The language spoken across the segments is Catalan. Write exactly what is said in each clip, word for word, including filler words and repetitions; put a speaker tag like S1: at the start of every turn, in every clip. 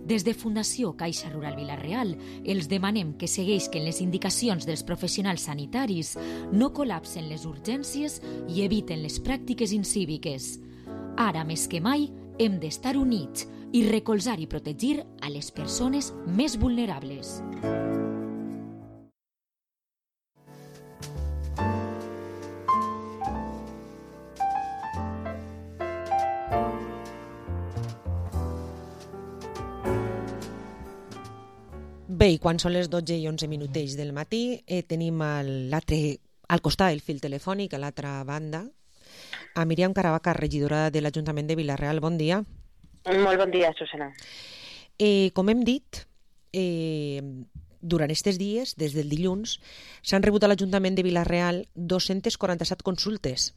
S1: Des de Fundació Caixa Rural Vila-real els demanem que segueixin les indicacions dels professionals sanitaris, no col·lapsen les urgències i eviten les pràctiques incíviques. Ara més que mai hem d'estar units i recolzar i protegir a les persones més vulnerables.
S2: Bé, i quan són les dotze i onze minutets del matí, eh, tenim al, l'altre, al costat del fil telefònic, a l'altra banda, a Míriam Caravaca, regidora de l'Ajuntament de Vila-real. Bon dia.
S3: Molt bon dia, Susana.
S2: Eh, com hem dit, eh, durant aquests dies, des del dilluns, s'han rebut a l'Ajuntament de Vila-real dos-centes quaranta-set consultes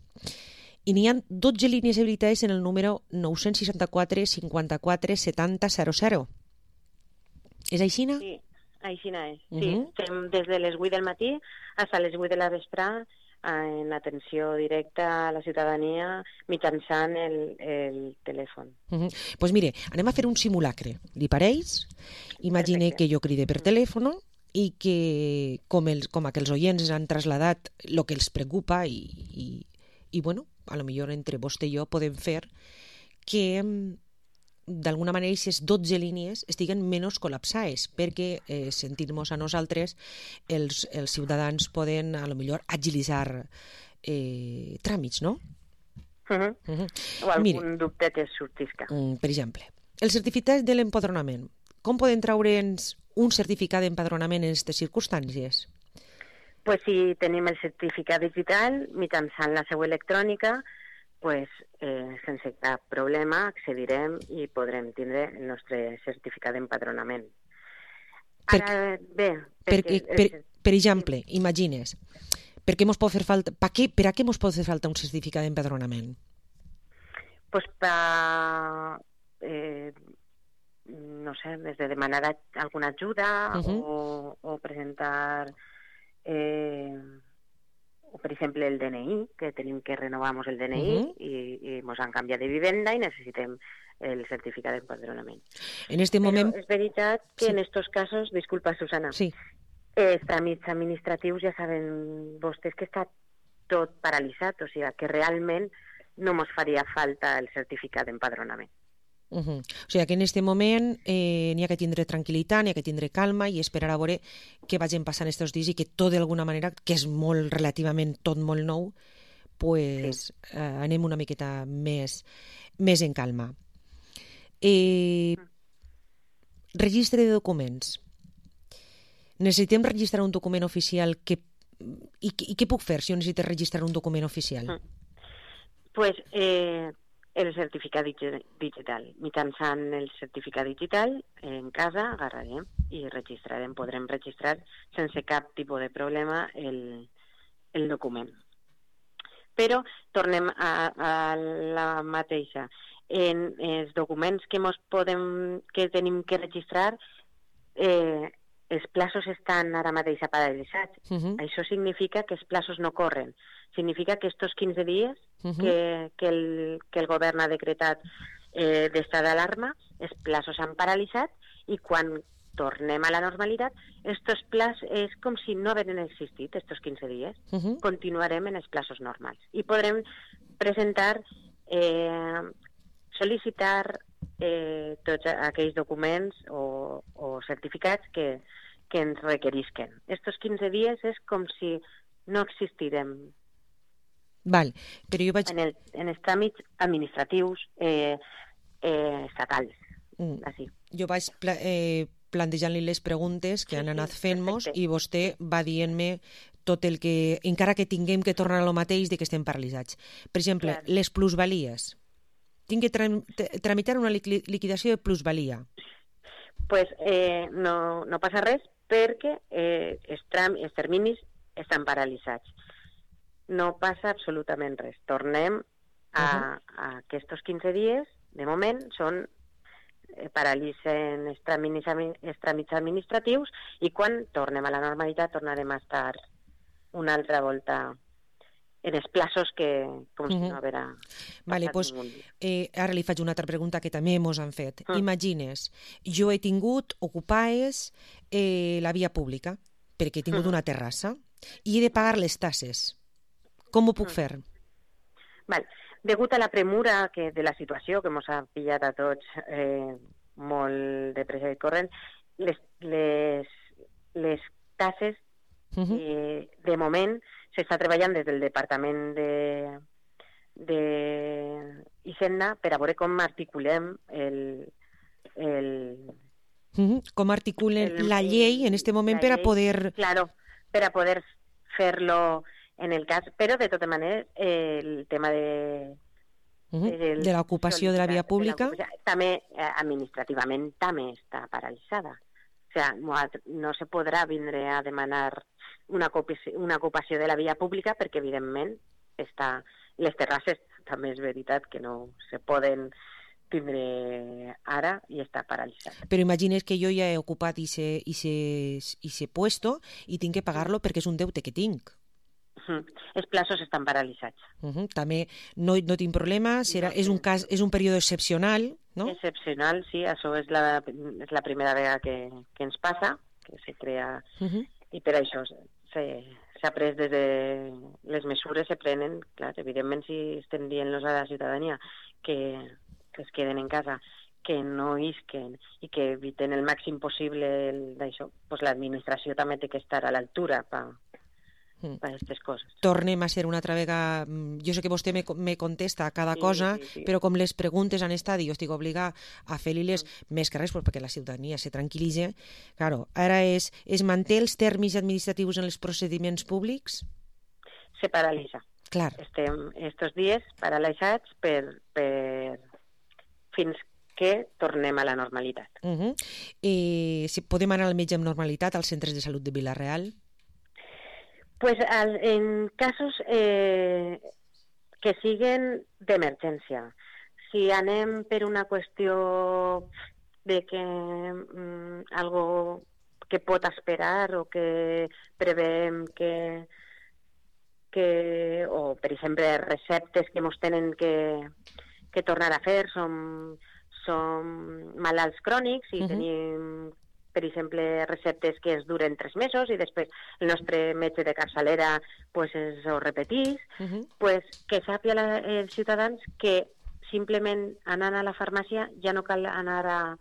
S2: i n'hi ha dotze línies habilitades en el número nou-cents seixanta-quatre cinquanta-quatre setanta zero zero. És aixina?
S3: Sí, aixina és.
S2: Uh-huh.
S3: Sí, estem des de les vuit del matí fins a les vuit de la vesprà en atenció directa a la ciutadania mitjançant el, el telèfon.
S2: Doncs uh-huh. pues mire, anem a fer un simulacre. Li pareix? Imagine Perfecte. Que jo cride per telèfon i que, com, els, com que els oients han trasladat el que els preocupa i, i, i bueno, a lo millor entre vostè i jo podem fer que d'alguna manera aquestes dotze línies estiguen menys col·lapsades perquè eh, sentir-nos a nosaltres els, els ciutadans poden a lo millor agilitzar eh, tràmits, no?
S3: Uh-huh. Uh-huh. O algun Mire, dubte que sortisca.
S2: Um, per exemple, el certificat de l'empadronament. Com podem traure'ns un certificat d'empadronament en aquestes circumstàncies?
S3: Pues si tenim el certificat digital mitjançant la seu electrònica, pues, eh, sense cap problema accedirem i podrem tindre el nostre certificat d'empadronament.
S2: Per,
S3: Ara, bé...
S2: Per, per, per, per exemple, imagines, per, què mos pot fer falta, per, què, per a què ens pot fer falta un certificat d'empadronament?
S3: Pues per, eh, no sé, des de demanar alguna ajuda uh-huh. o, o presentar... Eh, o per exemple el D N I, que tenim que renovar-nos el D N I uh-huh. i, i ens han canviat de vivenda i necessitem el certificat d'empadronament.
S2: En este moment...
S3: Però és veritat que sí. En estos casos, disculpa Susana,
S2: sí.
S3: els tràmits administratius ja saben vostès que està tot paralitzat, o sigui que realment no ens faria falta el certificat d'empadronament.
S2: Uh-huh. O sigui que en aquest moment eh, n'hi ha que tindre tranquil·litat, n'hi ha que tindre calma i esperar a veure què vagin passant aquests dies i que tot d'alguna manera, que és molt relativament tot molt nou, pues, sí. eh, anem una miqueta més, més en calma. Eh, registre de documents. Necessitem registrar un document oficial que, i, i què puc fer si jo necessito registrar un document oficial?
S3: Mm. Pues eh, el certificat digital. Mitjançant el certificat digital, en casa agarrarem i registrarem, podrem registrar sense cap tipus de problema el, el document. Però tornem a, a la mateixa. En els documents que, mos podem, que tenim que registrar, eh, els plaços estan ara mateix paralitzats. Uh-huh. Això significa que els plaços no corren. Significa que estos quinze dies uh-huh. que, que, el, que el govern ha decretat eh, d'estat d'alarma, els plaços s'han paralitzat i quan tornem a la normalitat, estos plaços és com si no haguessin existit estos quinze dies. Uh-huh. Continuarem en els plaços normals i podrem presentar, eh, sol·licitar eh, tots aquells documents o, o certificats que, que ens requerisquen. Estos quinze dies és com si no existirem.
S2: Val, però jo vaig...
S3: En, el, en els tràmits administratius eh, eh, estatals. Mm. Així.
S2: Jo vaig pla eh, plantejant-li les preguntes que sí, han anat fent-nos i vostè va dient-me tot el que, encara que tinguem que tornar a lo mateix de que estem paralitzats. Per exemple, claro. Les plusvalies. Tinc que tra tramitar una liquidació de plusvalia.
S3: Pues eh, no, no passa res perquè eh, els, els terminis estan paralitzats. No passa absolutament res. Tornem a, uh-huh. a aquests quinze dies, de moment, són eh, paralitzen els tràmits, els tràmits administratius i quan tornem a la normalitat tornarem a estar una altra volta en els plaços que, com si
S2: Mhm.
S3: no haguera
S2: Vale,
S3: passat
S2: pues,
S3: ningú dia.
S2: eh, ara li faig una altra pregunta que també mos han fet.
S3: Mm.
S2: Imagines, jo he tingut ocupades eh, la via pública, perquè he tingut
S3: Mhm.
S2: una terrassa, i he de pagar les tasses. Com ho puc
S3: Mm.
S2: fer?
S3: Val. Degut a la premura que de la situació que ens ha pillat a tots eh, molt de pressa i corrent, les, les, les tasses,
S2: Mhm.
S3: eh, de moment, s'està treballant des del Departament de, de Hisenda per a veure com articulem el, el,
S2: Mhm. Com articulen
S3: el-
S2: la llei en este moment
S3: la
S2: per a
S3: llei,
S2: poder...
S3: Claro, per a poder fer-lo en el cas, però de totes maneres eh, el tema de,
S2: Mhm.
S3: del-
S2: de l'ocupació de la via
S3: sol·licitar-
S2: pública.
S3: l'ocupació, també eh, administrativament també està paralitzada. O sea, no, ha- no se podrà vindre a demanar una ocupació, una ocupació de la via pública perquè, evidentment, està, les terrasses també és veritat que no se poden tindre ara i està paralitzat.
S2: Però imagines que jo ja he ocupat i se, i se, i se puesto i tinc que pagar-lo perquè és un deute que tinc.
S3: Mhm. Els plaços estan paralitzats.
S2: Uh-huh. També no, no tinc problema, serà,
S3: No,
S2: és un
S3: sí.
S2: cas, és un període excepcional, no?
S3: Excepcional, sí, això és la, és la primera vegada que, que ens passa, que se crea,
S2: Uh-huh.
S3: i per això se- s'ha pres des de... Les mesures se prenen, clar, evidentment si estem dient-los a la ciutadania que, que es queden en casa, que no isquen i que eviten el màxim possible el- d'això, doncs l'administració també té que estar a l'altura per
S2: Mm.
S3: aquestes coses.
S2: Tornem a ser una altra vegada... mm, Jo sé que vostè me, me contesta a cada
S3: Sí,
S2: cosa,
S3: sí, sí.
S2: però com les preguntes han estat i jo estic obligada a fer-li-les més que res pues, perquè la ciutadania se tranquil·litzi. Claro, ara és, es manté els termes administratius en els procediments públics?
S3: Se paralitza.
S2: Clar.
S3: Estem estos dies paralitzats per, per fins que tornem a la normalitat.
S2: Uh -huh. eh, si podem anar al metge amb normalitat als centres de salut de Vila-real?
S3: Pues al, en casos eh, que siguen d'emergència. Si anem per una qüestió de que mm, algo que pot esperar o que preveem que, que o per exemple receptes que ens tenen que, que tornar a fer, som, som malalts crònics i
S2: Mhm.
S3: tenim, per exemple, receptes que es duren tres mesos i després el nostre metge de capçalera pues, es ho repetís,
S2: Uh -huh.
S3: pues, que sàpiga la, els ciutadans que simplement anant a la farmàcia ja no cal anar a,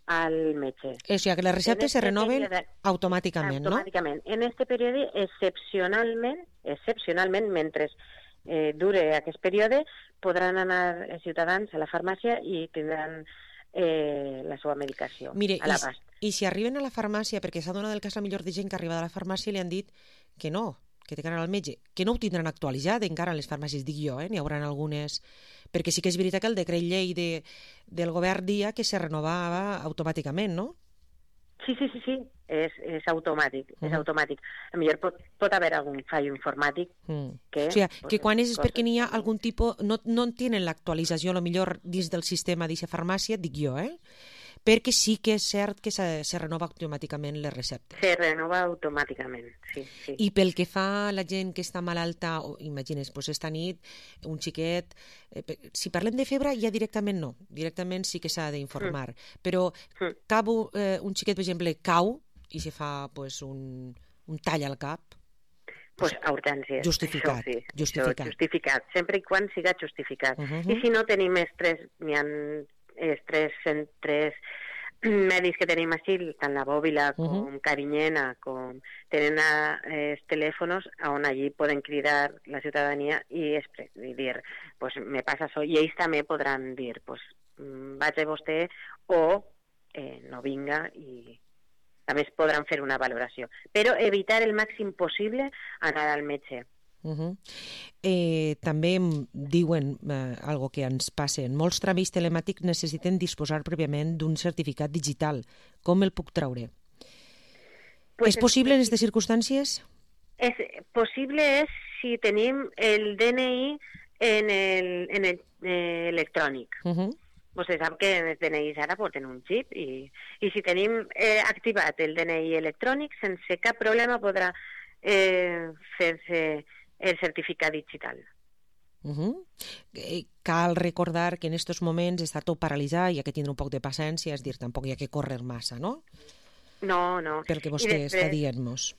S3: al metge.
S2: O sigui, que les receptes se
S3: En este
S2: renoven
S3: període-
S2: automàticament, no?
S3: Automàticament. En este període, excepcionalment, excepcionalment, mentre eh, dure aquest període, podran anar els ciutadans a la farmàcia i tindran eh, la seva medicació
S2: Mire,
S3: a
S2: i,
S3: l'abast.
S2: i si arriben a la farmàcia, perquè s'ha donat el cas la millor de gent que arriba a la farmàcia i li han dit que no, que té que anar al metge, que no ho tindran actualitzat encara en les farmàcies, dic jo, eh? N'hi haurà algunes... Perquè sí que és veritat que el decret llei de, del govern dia que se renovava automàticament, no?
S3: Sí, sí, sí, sí, és, és automàtic, uh -huh. és
S2: Mhm.
S3: automàtic. A millor pot, pot haver algun fallo informàtic
S2: Mm.
S3: que...
S2: O sigui,
S3: pues,
S2: que quan és, és
S3: coses-
S2: perquè n'hi ha algun tipus... No, no en tenen l'actualització, a lo millor, dins del sistema d'aquesta farmàcia, dic jo, eh? Perquè sí que és cert que se, se renova automàticament les receptes.
S3: Se renova automàticament, sí, sí.
S2: I pel que fa a la gent que està malalta, o, imagines, doncs esta nit, un xiquet... Eh, pe- si parlem de febre, ja directament no. Directament sí que s'ha d'informar. Mm. Però
S3: Mm.
S2: cau, eh, un xiquet, per exemple, cau i se fa pues, un, un tall al cap,
S3: Pues a urgències.
S2: Justificat,
S3: Això sí,
S2: justificat.
S3: Això, justificat, sempre i quan siga justificat.
S2: Uh -huh.
S3: I si no tenim els tres, n'hi ha els tres centres mèdics que tenim així, tant la Bòbila com
S2: Uh-huh.
S3: Carinyena, com tenen a, eh, els telèfons on allí poden cridar la ciutadania i, expre- i dir, pues me passa això, i ells també podran dir, pues mm, vaig a vostè o eh, no vinga i a més podran fer una valoració. Però evitar el màxim possible anar al metge.
S2: Uh -huh. eh, també em diuen eh, algo que ens passa. Molts tràmits telemàtics necessiten disposar prèviament d'un certificat digital. Com el puc treure?
S3: Pues
S2: és possible en aquestes circumstàncies?
S3: És possible és si tenim el D N I en el, en el eh, electrònic.
S2: Uh -huh.
S3: Vostè sap que els D N Is ara porten un xip i, i si tenim eh, activat el D N I electrònic, sense cap problema podrà eh, fer-se el certificat digital.
S2: Uh -huh. eh, cal recordar que en aquests moments està tot paralitzat i hi ha que tindre un poc de paciència, és dir, tampoc hi ha que córrer massa, no?
S3: No, no.
S2: Pel que vostè després... està dient-nos.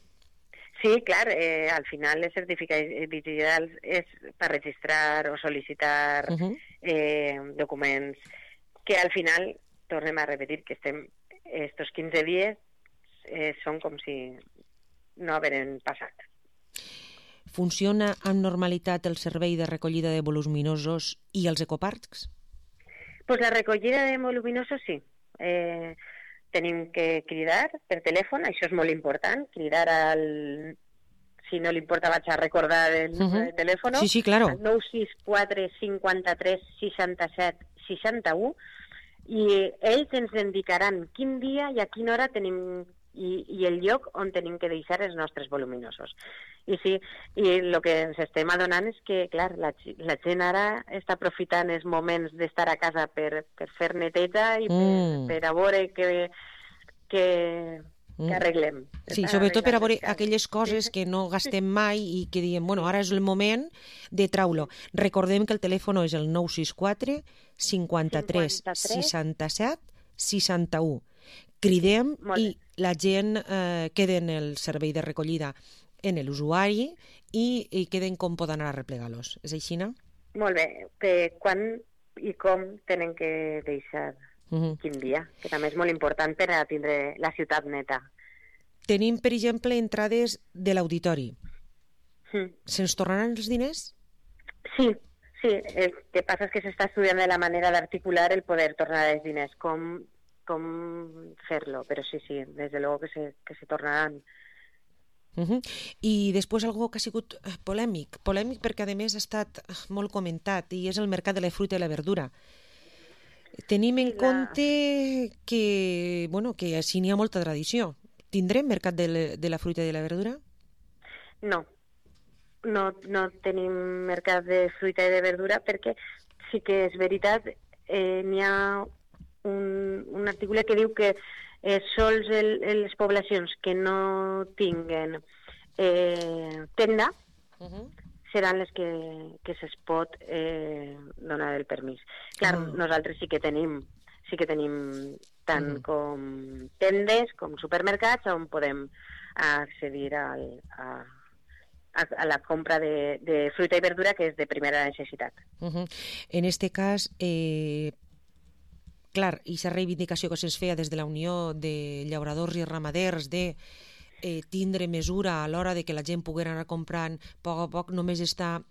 S3: Sí, clar, eh, al final els certificats digitals és per registrar o sol·licitar uh -huh. eh, documents que al final, tornem a repetir, que estem estos quinze dies eh, són com si no hagueren passat.
S2: Funciona amb normalitat el servei de recollida de voluminosos i els ecoparcs?
S3: Pues la recollida de voluminosos sí. Eh, tenim que cridar per telèfon, això és molt important, cridar al... Si no li importa, vaig a recordar el número uh -huh. de telèfon.
S2: Sí, sí, claro.
S3: Al nou sis quatre cinquanta-tres seixanta-set seixanta-u, i ells ens indicaran quin dia i a quina hora tenim i, i el lloc on tenim que deixar els nostres voluminosos. I sí, i el que ens estem adonant és que, clar, la, la gent ara està aprofitant els moments d'estar a casa per, per fer neteja i mm. per, per a veure que, que, que arreglem.
S2: Sí, sobretot per a veure aquelles coses que no gastem mai i que diem, bueno, ara és el moment de traure-lo. Recordem que el telèfon és el nou sis quatre cinquanta-tres seixanta-set seixanta-u. Cridem i la gent eh, queda en el servei de recollida en l'usuari i, i queden com poden anar a replegar-los. És així, no?
S3: Molt bé. Que quan i com tenen que deixar uh -huh. quin dia, que també és molt important per a tindre la ciutat neta.
S2: Tenim, per exemple, entrades de l'auditori.
S3: Mm.
S2: Se'ns tornaran els diners?
S3: Sí, sí. El que passa és que s'està estudiant de la manera d'articular el poder tornar els diners, com, com fer-lo, però sí, sí, des de luego que se, que se tornaran.
S2: Uh -huh. I després algo que ha sigut polèmic, polèmic perquè a més ha estat molt comentat i és el mercat de la fruita i la verdura. Tenim en la... compte que, bueno, que així n'hi ha molta tradició. Tindrem mercat de la, de la fruita i de la verdura?
S3: No. no, no tenim mercat de fruita i de verdura perquè sí que és veritat, eh, n'hi ha un, un article que diu que eh, sols el, les poblacions que no tinguen eh, tenda uh -huh. seran les que, que se'ls pot eh, donar el permís. Clar, uh -huh. nosaltres sí que tenim sí que tenim tant uh -huh. com tendes com supermercats on podem accedir al, a a la compra de, de fruita i verdura, que és de primera necessitat.
S2: Uh -huh. En este cas, eh, clar, aquesta reivindicació que se'ns feia des de la Unió de Llauradors i Ramaders de eh, tindre mesura a l'hora de que la gent pugui anar comprant a poc a poc, només està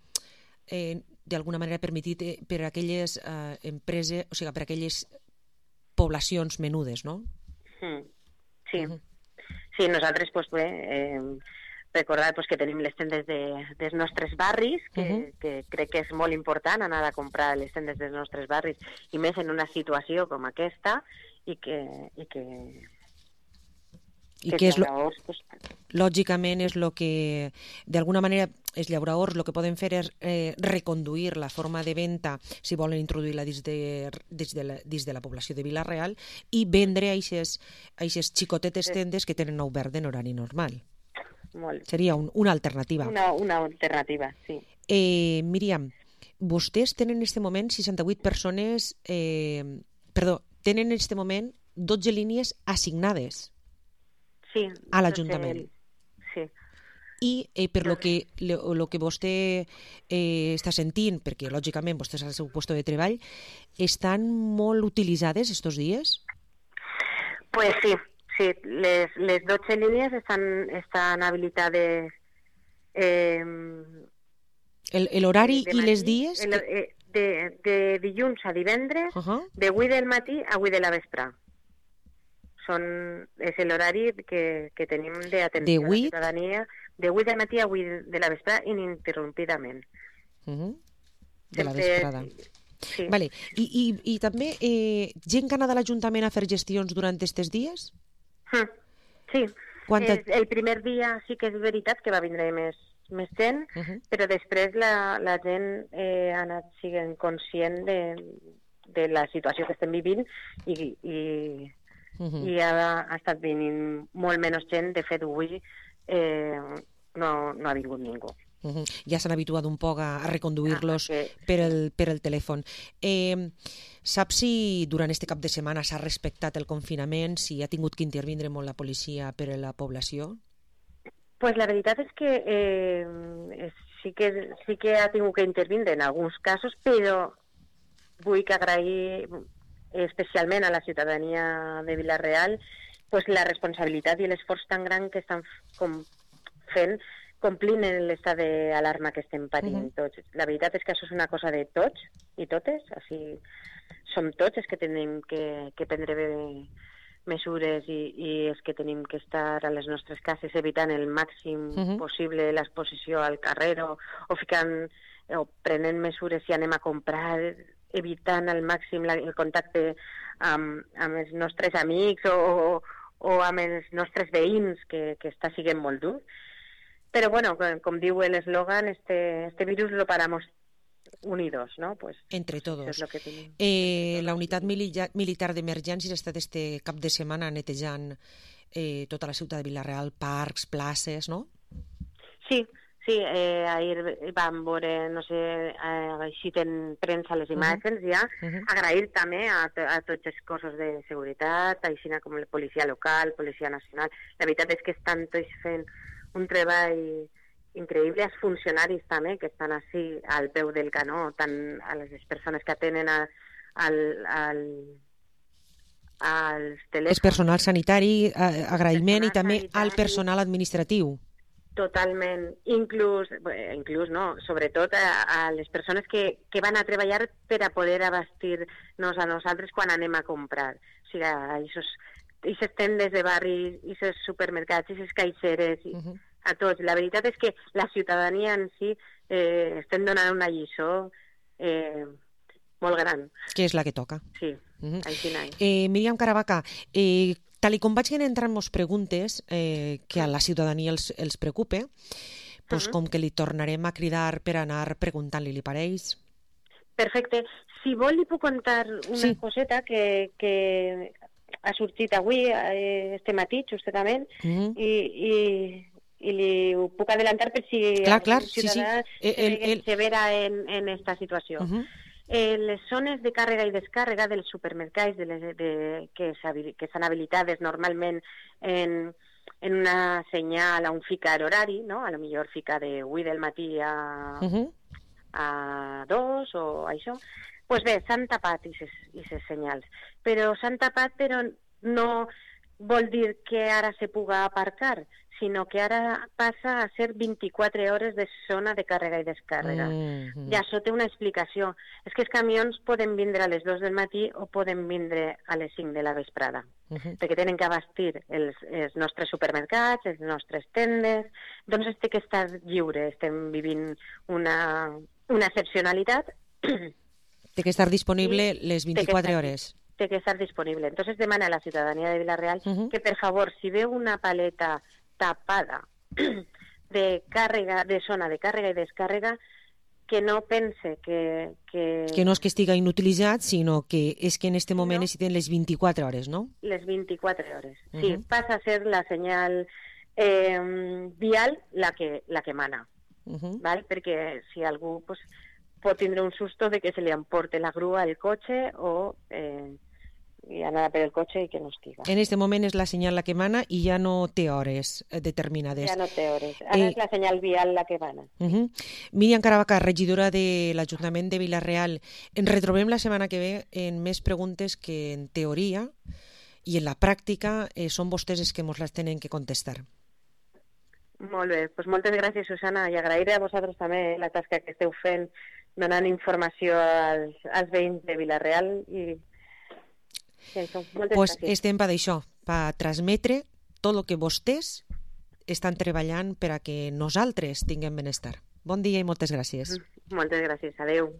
S2: eh, d'alguna manera permetit per a aquelles eh, empreses, o sigui, per a aquelles poblacions menudes, no?
S3: Mm. Sí.
S2: Uh -huh.
S3: Sí, nosaltres, doncs bé, eh, recordar pues, que tenim les tendes de, dels nostres barris, que, uh -huh. que crec que és molt important anar a comprar les tendes dels nostres barris, i més en una situació com aquesta, i que... I que,
S2: I que, que és lo, pues... lògicament és el que, d'alguna manera, els llauradors el que poden fer és eh, reconduir la forma de venda, si volen introduir-la dins de, dins de, la, dins de la població de Vila-real, i vendre a aquestes xicotetes tendes que tenen obert en horari normal.
S3: Molt.
S2: Seria un, una alternativa.
S3: Una, una alternativa, sí.
S2: Eh, Míriam, vostès tenen en aquest moment seixanta-vuit persones, eh, perdó, tenen en aquest moment dotze línies assignades
S3: sí,
S2: a l'Ajuntament.
S3: El... Sí.
S2: I eh, per lo que, lo, lo que vostè eh, està sentint, perquè lògicament vostès al seu lloc de treball, estan molt utilitzades estos dies?
S3: Pues sí. Sí, les, les dotze línies estan, estan habilitades. Eh,
S2: L'horari i les dies?
S3: El, eh, de, de dilluns a divendres, uh -huh. de vuit del matí a vuit de la vespre. Són, és l'horari que, que tenim d'atenció a la ciutadania, de vuit del matí a vuit de la vespre, ininterrompidament.
S2: Uh -huh. De la vesprada. Sí. Vale. I, i, i també eh, gent que ha anat a l'Ajuntament a fer gestions durant aquests dies?
S3: Sí,
S2: Quanta...
S3: el primer dia sí que és veritat que va vindre més, més gent, uh -huh. però després la, la gent eh, ha anat sent conscient de, de la situació que estem vivint i, i, uh -huh. i ha, ha estat venint molt menys gent. De fet, avui eh, no, no ha vingut ningú.
S2: Uh-huh. Ja s'han habituat un poc a, a reconduir-los
S3: ah, que...
S2: per, el, per el telèfon. Eh, saps si durant este cap de setmana s'ha respectat el confinament, si ha tingut que intervindre molt la policia per a la població?
S3: Pues la veritat és que eh, sí que sí que ha tingut que intervindre en alguns casos, però vull que agrair especialment a la ciutadania de Vila-real pues, la responsabilitat i l'esforç tan gran que estan com fent complint l'estat d'alarma que estem patint uh-huh. tots. La veritat és que això és una cosa de tots i totes, així som tots els que tenim que, que prendre bé mesures i, i és que tenim que estar a les nostres cases evitant el màxim uh-huh. possible l'exposició al carrer o, o ficant o prenent mesures si anem a comprar, evitant al màxim la, el contacte amb, amb els nostres amics o, o, o amb els nostres veïns, que, que està sent molt dur. Però, bueno, com, com diu l'eslògan, este, este virus lo paramos unidos, ¿no? Pues,
S2: entre todos.
S3: Es lo que tienen.
S2: Eh, la unitat mili- militar d'emergències ha estat este cap de setmana netejant eh, tota la ciutat de Vila-real, parcs, places, no?
S3: Sí, sí, eh, ahir vam veure, no sé, eh, així en premsa les imatges uh-huh. ja, uh-huh. agrair també a, a tots els cossos de seguretat, així com la policia local, policia nacional. La veritat és que estan tots fent un treball increïble, els funcionaris també, que estan així al peu del canó, tant a les persones que atenen a, al, al, als telèfons.
S2: El personal sanitari, agraïment, i també sanitari, al personal administratiu.
S3: Totalment, inclús, bé, inclús no, sobretot a, a les persones que, que van a treballar per a poder abastir-nos a nosaltres quan anem a comprar. O sigui, aquestes tendes de barri, aquests supermercats, aquestes caixeres, uh-huh. a tots. La veritat és que la ciutadania en si eh, estem donant una lliçó eh, molt gran.
S2: Que és la que toca.
S3: Sí, uh-huh. així n'hi.
S2: Eh, Míriam Caravaca, eh, tal i com vaig entrant moltes preguntes eh, que a la ciutadania els, els preocupa, pues, uh-huh. com que li tornarem a cridar per anar preguntant-li, li pareix?
S3: Perfecte. Si vol li puc contar una sí. coseta que, que ha sortit avui, eh, este matí, justament, uh-huh. i... i i li ho puc adelantar per si
S2: clar, clar,
S3: ciutadà
S2: sí, sí. El, el...
S3: se vera en, en esta situació. Uh-huh. eh, les zones de càrrega i descàrrega dels supermercats de les, de, que s'han habilitades normalment en, en una senyal, a un ficar horari, no? A lo millor fica de vuit del matí a, uh-huh. a dos o això, pues bé, s'han tapat aquestes senyals. Però s'han tapat, però no vol dir que ara se puga aparcar, sinó que ara passa a ser vint-i-quatre hores de zona de càrrega i descàrrega. Mm-hmm. I això té una explicació. És que els camions poden vindre a les dues del matí o poden vindre a les cinc de la vesprada, mm-hmm. perquè tenen que abastir els, els nostres supermercats, les nostres tendes, doncs té que estar lliure. Estem vivint una, una excepcionalitat.
S2: Té que estar disponible I les vint-i-quatre hores.
S3: Té que estar disponible. Entonces demana a la ciutadania de Vila-real uh-huh. que, per favor, si veu una paleta tapada de càrrega, de zona de càrrega i descàrrega, que no pense que... Que,
S2: que no és que estiga inutilitzat, sinó que és que en este moment no. necessiten les vint-i-quatre hores, no?
S3: Les vint-i-quatre hores, uh-huh. sí. Passa a ser la senyal eh, vial la que, la que mana, uh-huh. ¿vale? Perquè si algú pues, pot tindre un susto de que se li emporte la grua al cotxe o... Eh, i anar per el cotxe i que no estiga.
S2: En este moment és la senyal la que mana i ja no té hores determinades.
S3: Ja no té hores. Ara eh... és la senyal vial la que mana.
S2: Uh-huh. Míriam Caravaca, regidora de l'Ajuntament de Vila-real. Ens retrobem la setmana que ve en més preguntes que en teoria i en la pràctica eh, són vostès els que ens les tenen que contestar.
S3: Molt bé. Pues moltes gràcies, Susana, i agrair a vosaltres també la tasca que esteu fent donant informació als, als veïns de Vila-real i Sí,
S2: pues estem per això, per transmetre tot el que vostès estan treballant per a que nosaltres tinguem benestar. Bon dia i moltes gràcies.
S3: Moltes gràcies. Adéu.